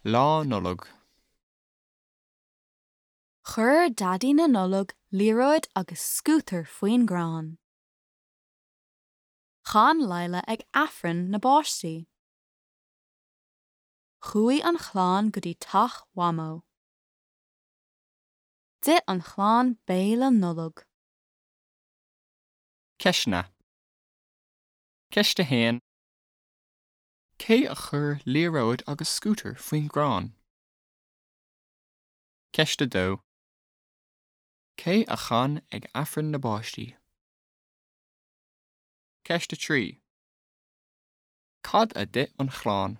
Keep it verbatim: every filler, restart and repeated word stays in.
Lá Nollag. Chuir Daidí na Nollag liathróid agus scútar faoin gcrann. Chan Lila ag Aifreann na bpáistí. Chuaigh an chlann go dtí teach Mhamó. D'ith an chlann béile Nollag. Ceisteanna. Ceist a haon. Cé a chuir liathróid agus scútar faoin gcrann? Ceist a dó. Cé a chan ag Aifreann na bpáistí? Ceist a trí. Cad a d'ith an chlann?